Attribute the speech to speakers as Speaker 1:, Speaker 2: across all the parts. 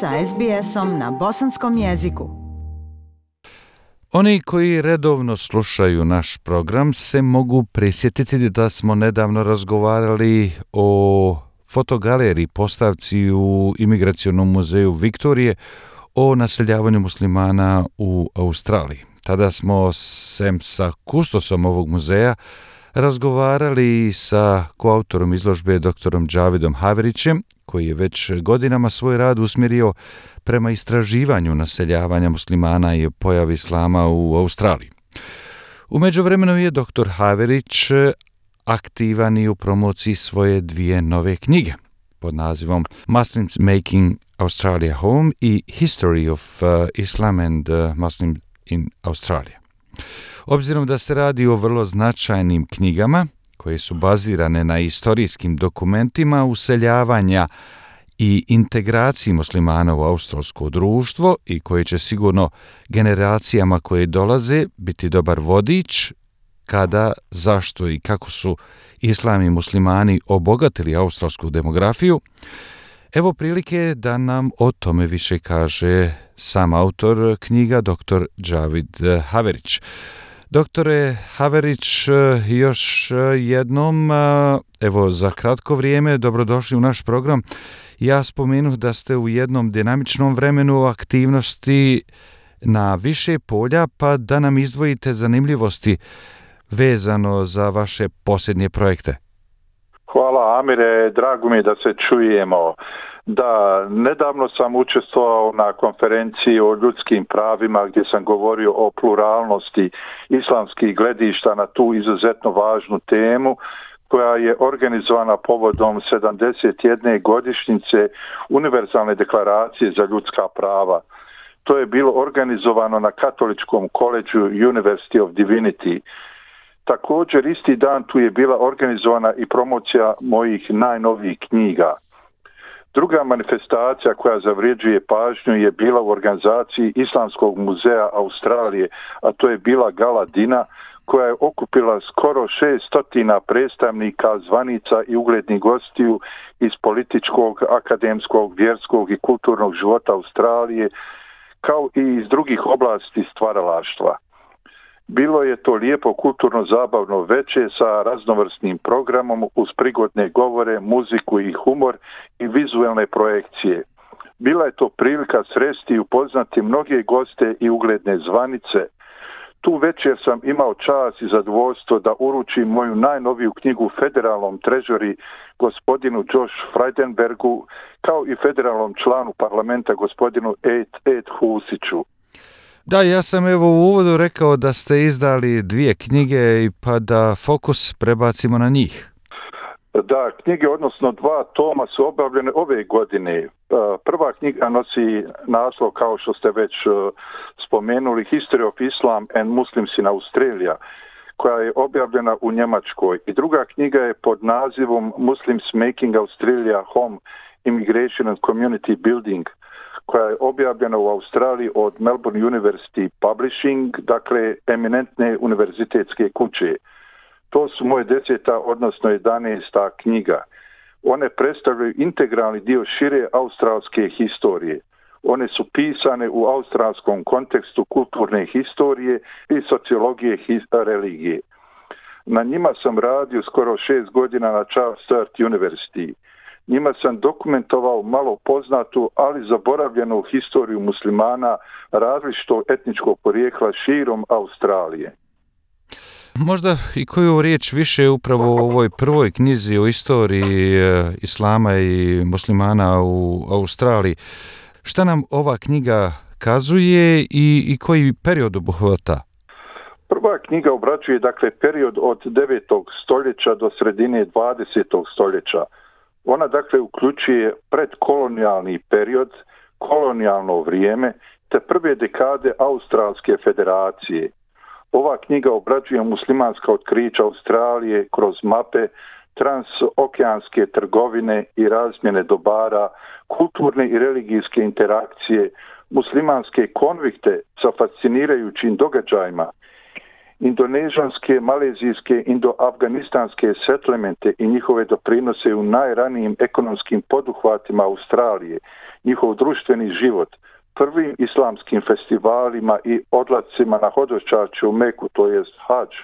Speaker 1: sa SBS-om na bosanskom jeziku.
Speaker 2: Oni koji redovno slušaju naš program se mogu prisjetiti da smo nedavno razgovarali o fotogaleriji postavci u Imigracionom muzeju Viktorije o naseljavanju muslimana u Australiji. Tada smo sem sa kustosom ovog muzeja razgovarali sa koautorom izložbe doktorom Javidom Haverićem, koji je već godinama svoj rad usmjerio prema istraživanju naseljavanja muslimana i pojavi islama u Australiji. U međuvremenu je doktor Haverić aktivan i u promociji svoje dvije nove knjige pod nazivom Muslims Making Australia Home i History of Islam and Muslims in Australia. Obzirom da se radi o vrlo značajnim knjigama koje su bazirane na istorijskim dokumentima useljavanja i integraciji muslimana u australsko društvo i koje će sigurno generacijama koje dolaze biti dobar vodič kada, zašto i kako su islam i muslimani obogatili australsku demografiju, evo prilike da nam o tome više kaže sam autor knjiga, dr. Javid Haverić. Doktore Haverić, još jednom, evo za kratko vrijeme, dobrodošli u naš program. Ja spomenuh da ste u jednom dinamičnom vremenu aktivnosti na više polja, pa da nam izdvojite zanimljivosti vezano za vaše posljednje projekte.
Speaker 3: Hvala Amire, drago mi je da se čujemo. Da, nedavno sam učestvovao na konferenciji o ljudskim pravima gdje sam govorio o pluralnosti islamskih gledišta na tu izuzetno važnu temu koja je organizovana povodom 71. godišnjice Univerzalne deklaracije za ljudska prava. To je bilo organizovano na Katoličkom koledžu University of Divinity. Također isti dan tu je bila organizovana i promocija mojih najnovijih knjiga. Druga manifestacija koja zavređuje pažnju je bila u organizaciji Islamskog muzeja Australije, a to je bila Gala Dina, koja je okupila skoro 600 predstavnika, zvanica i uglednih gostiju iz političkog, akademskog, vjerskog i kulturnog života Australije, kao i iz drugih oblasti stvaralaštva. Bilo je to lijepo kulturno zabavno veče sa raznovrsnim programom uz prigodne govore, muziku i humor i vizualne projekcije. Bila je to prilika sresti i upoznati mnoge goste i ugledne zvanice. Tu večer sam imao čast i zadovoljstvo da uručim moju najnoviju knjigu federalnom trežori gospodinu Josh Frydenbergu, kao i federalnom članu parlamenta gospodinu Ed Husiću.
Speaker 2: Da, ja sam evo u uvodu rekao da ste izdali dvije knjige i pa da fokus prebacimo na njih.
Speaker 3: Da, knjige, odnosno dva toma su objavljene ove godine. Prva knjiga nosi naslov, kao što ste već spomenuli, History of Islam and Muslims in Australia, koja je objavljena u Njemačkoj. I druga knjiga je pod nazivom Muslims Making Australia Home, Immigration and Community Building, koja je objavljena u Australiji od Melbourne University Publishing, dakle eminentne univerzitetske kuće. To su moje 10. odnosno 11. knjiga. One predstavljaju integralni dio šire australske historije. One su pisane u australskom kontekstu kulturne historije i sociologije religije. Na njima sam radio skoro 6 godina na Charles Sturt University. Njima sam dokumentovao malo poznatu, ali zaboravljenu historiju muslimana različitog etničkog porijekla širom Australije.
Speaker 2: Možda i koju riječ više upravo u ovoj prvoj knjizi o istoriji islama i muslimana u Australiji. Šta nam ova knjiga kazuje i koji period obuhvata?
Speaker 3: Prva knjiga obrađuje dakle period od 9. stoljeća do sredine 20. stoljeća. Ona dakle uključuje predkolonijalni period, kolonijalno vrijeme te prve dekade Australske federacije. Ova knjiga obrađuje muslimanska otkrića Australije kroz mape, transokeanske trgovine i razmjene dobara, kulturne i religijske interakcije, muslimanske konvikte sa fascinirajućim događajima, indonežanske, malezijske, indo-afganistanske settlemente i njihove doprinose u najranijim ekonomskim poduhvatima Australije njihov društveni život, prvim islamskim festivalima i odlascima na hodočašće u Meku, to jest hadž,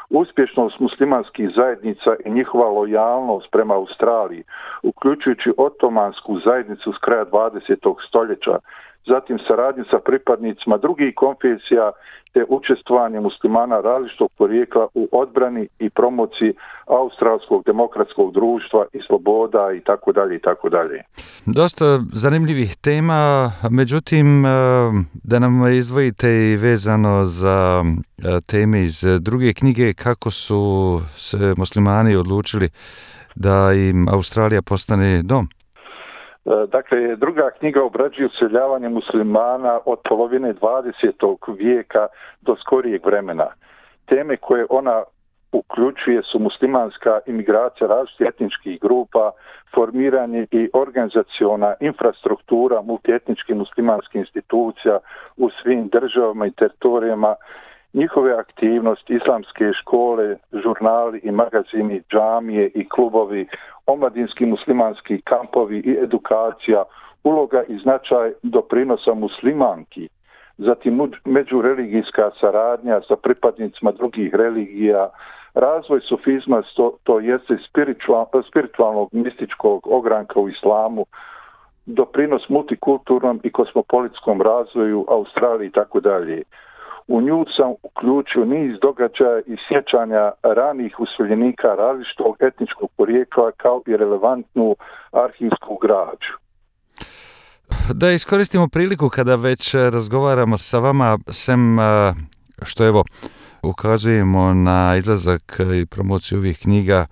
Speaker 3: uspješnost muslimanskih zajednica i njihova lojalnost prema Australiji, uključujući otomansku zajednicu s kraja 20. stoljeća, zatim saradnju sa pripadnicima drugih konfesija te učestvovanje muslimana različitog porijekla u odbrani i promociji australskog demokratskog društva i sloboda i tako dalje i tako dalje.
Speaker 2: Dosta zanimljivih tema, međutim da nam izdvojite i vezano za teme iz druge knjige, kako su se muslimani odlučili da im Australija postane dom.
Speaker 3: Dakle, druga knjiga obrađuje useljavanje muslimana od polovine 20. vijeka do skorijeg vremena. Teme koje ona uključuje su muslimanska imigracija različitih etničkih grupa, formiranje i organizaciona infrastruktura multietničkih muslimanskih institucija u svim državama i teritorijama, njihove aktivnosti, islamske škole, žurnali i magazini, džamije i klubovi, omladinski muslimanski kampovi i edukacija, uloga i značaj doprinosa muslimanki, zatim međureligijska saradnja sa pripadnicima drugih religija, razvoj sufizma, to jeste spiritualnog mističkog ogranka u islamu, doprinos multikulturnom i kosmopolitskom razvoju Australije i tako dalje. U nju sam uključio niz događaja i sjećanja ranih useljenika različitog etničkog porijekla kao i relevantnu arhivsku građu.
Speaker 2: Da iskoristimo priliku kada već razgovaramo sa vama, sem što evo ukazujemo na izlazak i promociju ovih knjiga,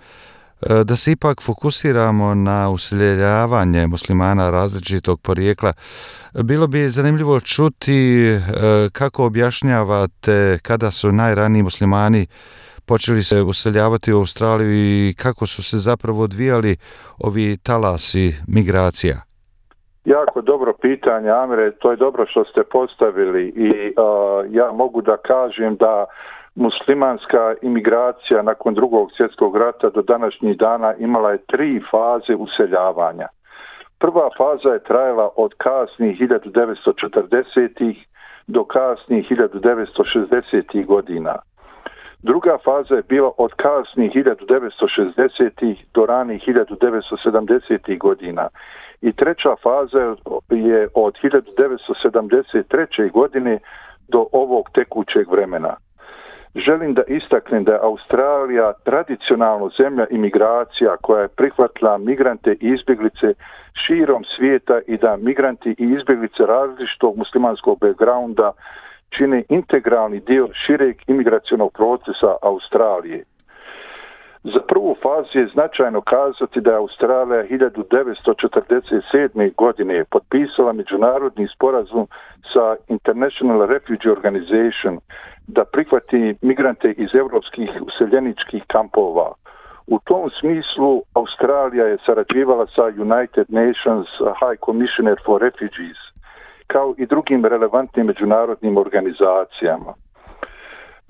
Speaker 2: da se ipak fokusiramo na useljavanje muslimana različitog porijekla. Bilo bi zanimljivo čuti kako objašnjavate kada su najraniji muslimani počeli se useljavati u Australiju i kako su se zapravo odvijali ovi talasi migracija.
Speaker 3: Jako dobro pitanje, Amire, to je dobro što ste postavili i ja mogu da kažem da muslimanska imigracija nakon Drugog svjetskog rata do današnjih dana imala je 3 faze useljavanja. Prva faza je trajala od kasnih 1940-ih do kasnih 1960-ih godina. Druga faza je bila od kasnih 1960-ih do ranih 1970-ih godina. I treća faza je od 1973. godine do ovog tekućeg vremena. Želim da istaknem da je Australija tradicionalno zemlja imigracija koja je prihvatila migrante i izbjeglice širom svijeta i da migranti i izbjeglice različitog muslimanskog backgrounda čine integralni dio šireg imigracionog procesa Australije. Za prvu fazu je značajno kazati da je Australija 1947. godine potpisala međunarodni sporazum sa International Refugee Organization da prihvati migrante iz europskih useljeničkih kampova. U tom smislu Australija je sarađivala sa United Nations High Commissioner for Refugees kao i drugim relevantnim međunarodnim organizacijama.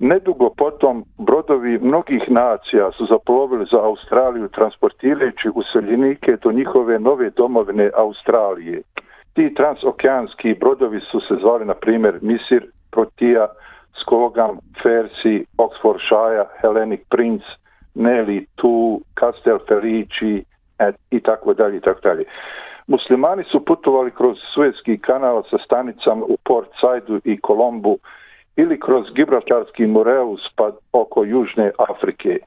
Speaker 3: Nedugo potom brodovi mnogih nacija su zaplovili za Australiju transportirajući useljenike do njihove nove domovine Australije. Ti transokeanski brodovi su se zvali na primjer Misir, Protea, Skogam, Fersi, Oxfordshire, Hellenic Prince, Nelly, Tu, Castel Felici i tako dalje i tako dalje. Muslimani su putovali kroz Suezki kanal sa stanicama u Port Saidu i Kolombu ili kroz Gibraltarski Moreus pa oko Južne Afrike.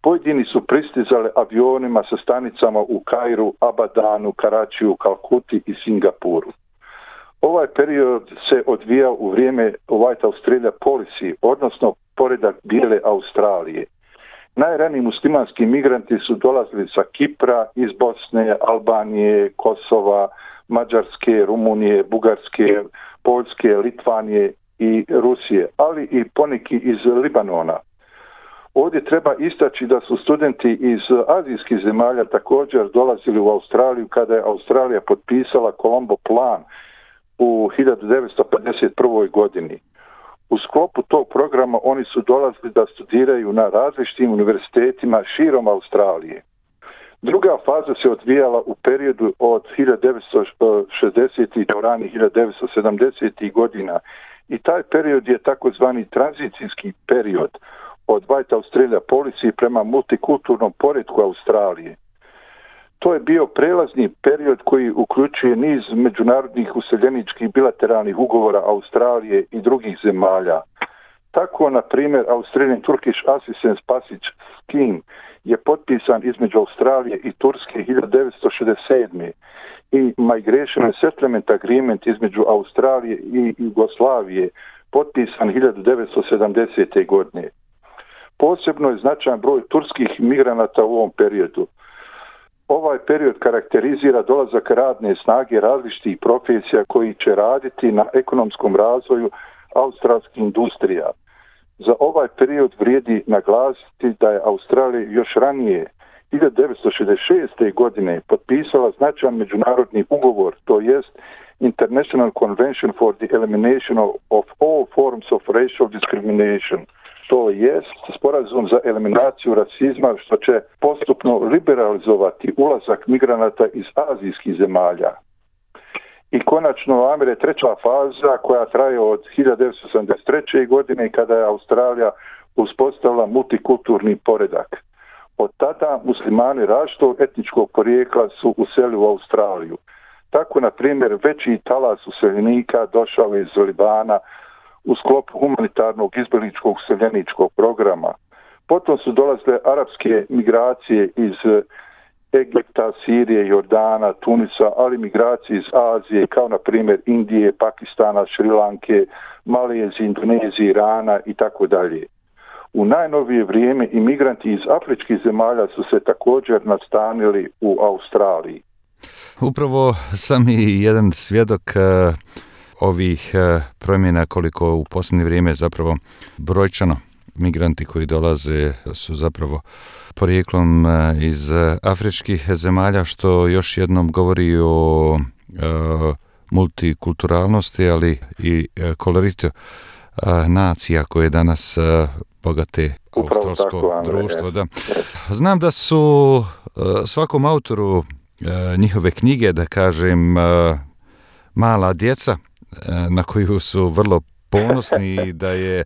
Speaker 3: Pojedini su pristizali avionima sa stanicama u Kairu, Abadanu, Karačiju, Kalkuti i Singapuru. Ovaj period se odvijao u vrijeme White Australia Policy, odnosno poredak bijele Australije. Najraniji muslimanski migranti su dolazili sa Kipra, iz Bosne, Albanije, Kosova, Mađarske, Rumunije, Bugarske, Poljske, Litvanije i Rusije, ali i poneki iz Libanona. Ovdje treba istaći da su studenti iz azijskih zemalja također dolazili u Australiju kada je Australija potpisala Colombo plan u 1951. godini. U sklopu tog programa oni su dolazili da studiraju na različitim univerzitetima širom Australije. Druga faza se odvijala u periodu od 1960. do ranih 1970. godina i taj period je takozvani tranzicijski period od White Australia Policy prema multikulturnom poretku Australije. To je bio prelazni period koji uključuje niz međunarodnih useljeničkih bilateralnih ugovora Australije i drugih zemalja. Tako, na primjer, Australian Turkish Assistance Passage Scheme je potpisan između Australije i Turske 1967. i Migration and Settlement Agreement između Australije i Jugoslavije potpisan 1970. godine. Posebno je značajan broj turskih migranata u ovom periodu. Ovaj period karakterizira dolazak radne snage različitih profesija koji će raditi na ekonomskom razvoju australskih industrija. Za ovaj period vrijedi naglasiti da je Australija još ranije 1966. godine potpisala značajan međunarodni ugovor, to jest International Convention for the Elimination of all forms of racial discrimination. To jest sporazum za eliminaciju rasizma što će postupno liberalizovati ulazak migranata iz azijskih zemalja. I konačno, Amire, treća faza koja traje od 1983. godine kada je Australija uspostavila multikulturni poredak. Od tada muslimani različitog etničkog porijekla su uselili u Australiju. Tako, na primjer, veći talas useljenika došao iz Libana u sklopu humanitarnog izbjegličkog useljeničkog programa. Potom su dolazile arapske migracije iz Egipta, Sirije, Jordana, Tunisa, ali migracije iz Azije, kao na primjer Indije, Pakistana, Šrilanke, Malezije, Indonezije, Irana i tako dalje. U najnovije vrijeme imigranti iz afričkih zemalja su se također nastanili u Australiji.
Speaker 2: Upravo sam i jedan svjedok ovih promjena koliko u posljednje vrijeme zapravo brojčano migranti koji dolaze su zapravo porijeklom iz afričkih zemalja, što još jednom govori o multikulturalnosti, ali i koloritu nacija koje danas bogate australsko društvo. Da. Znam da su svakom autoru njihove knjige, da kažem, mala djeca na koju su vrlo ponosni i da je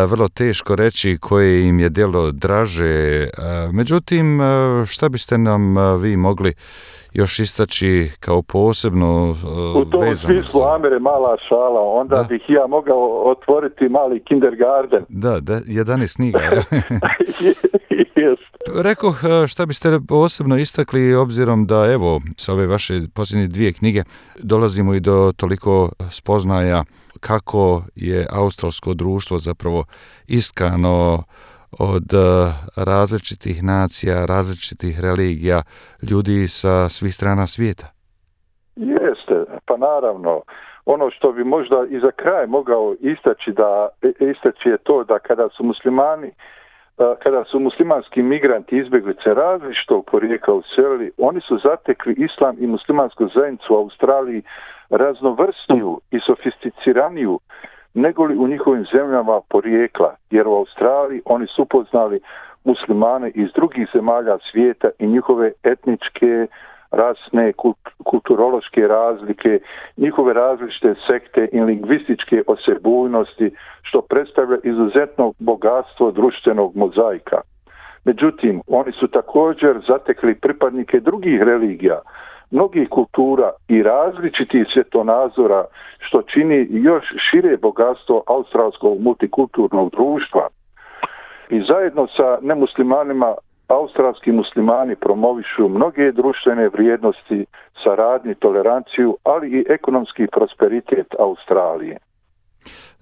Speaker 2: vrlo teško reći koje im je djelo draže. Međutim, šta biste nam vi mogli još istaći kao posebno
Speaker 3: u tom smislu, Amire, mala šala, onda bih ja mogao otvoriti mali kindergarten.
Speaker 2: Da, 11 knjiga. Rekoh, šta biste posebno istakli, obzirom da, evo, sa ove vaše posljednje 2 knjige dolazimo i do toliko spoznaja kako je australsko društvo zapravo iskano od različitih nacija, različitih religija, ljudi sa svih strana svijeta.
Speaker 3: Jeste, pa naravno. Ono što bi možda i za kraj mogao istaći je to da kada su muslimanski migranti izbjeglice različitog porijekla uselili, oni su zatekli islam i muslimansku zajednicu u Australiji raznovrsniju i sofisticiraniju nego li u njihovim zemljama porijekla, jer u Australiji oni su upoznali muslimane iz drugih zemalja svijeta i njihove etničke, rasne, kulturološke razlike, njihove različite sekte i lingvističke osebujnosti, što predstavlja izuzetno bogatstvo društvenog mozaika. Međutim, oni su također zatekli pripadnike drugih religija, mnogih kultura i različitih svjetonazora, što čini još šire bogatstvo australskog multikulturnog društva. I zajedno sa nemuslimanima, australski muslimani promovišu mnoge društvene vrijednosti, saradnju, toleranciju, ali i ekonomski prosperitet Australije.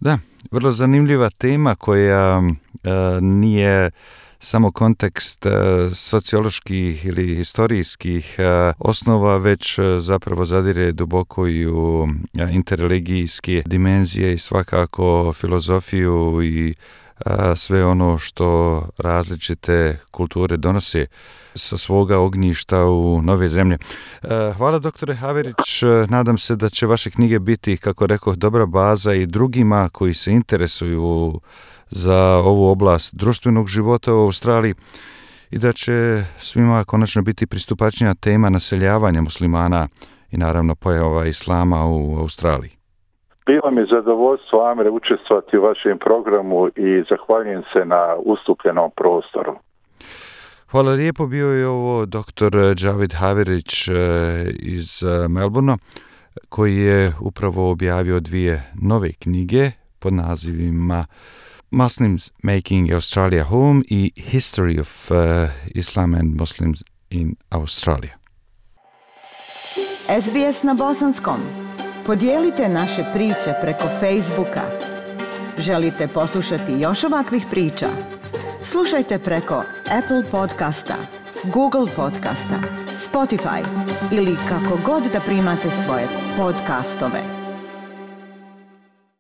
Speaker 2: Da, vrlo zanimljiva tema koja nije samo kontekst socioloških ili historijskih osnova, već zapravo zadire duboko i u interreligijske dimenzije i svakako filozofiju i sve ono što različite kulture donose sa svoga ognjišta u nove zemlje. Hvala, doktore Haverić. Nadam se da će vaše knjige biti, kako rekoh, dobra baza i drugima koji se interesuju za ovu oblast društvenog života u Australiji i da će svima konačno biti pristupačnija tema naseljavanja muslimana i naravno pojava islama u Australiji.
Speaker 3: Bilo mi zadovoljstvo, Amire, učestvovati u vašem programu i zahvaljujem se na ustupljenom prostoru.
Speaker 2: Hvala lijepo, bio je ovo dr. Javed Haverić iz Melbournea, koji je upravo objavio 2 nove knjige pod nazivima Muslims Making Australia Home i History of Islam and Muslims in Australia.
Speaker 1: SBS na bosanskom. Podijelite naše priče preko Facebooka. Želite poslušati još ovakvih priča? Slušajte preko Apple podcasta, Google podcasta, Spotify ili kako god da primate svoje podcastove.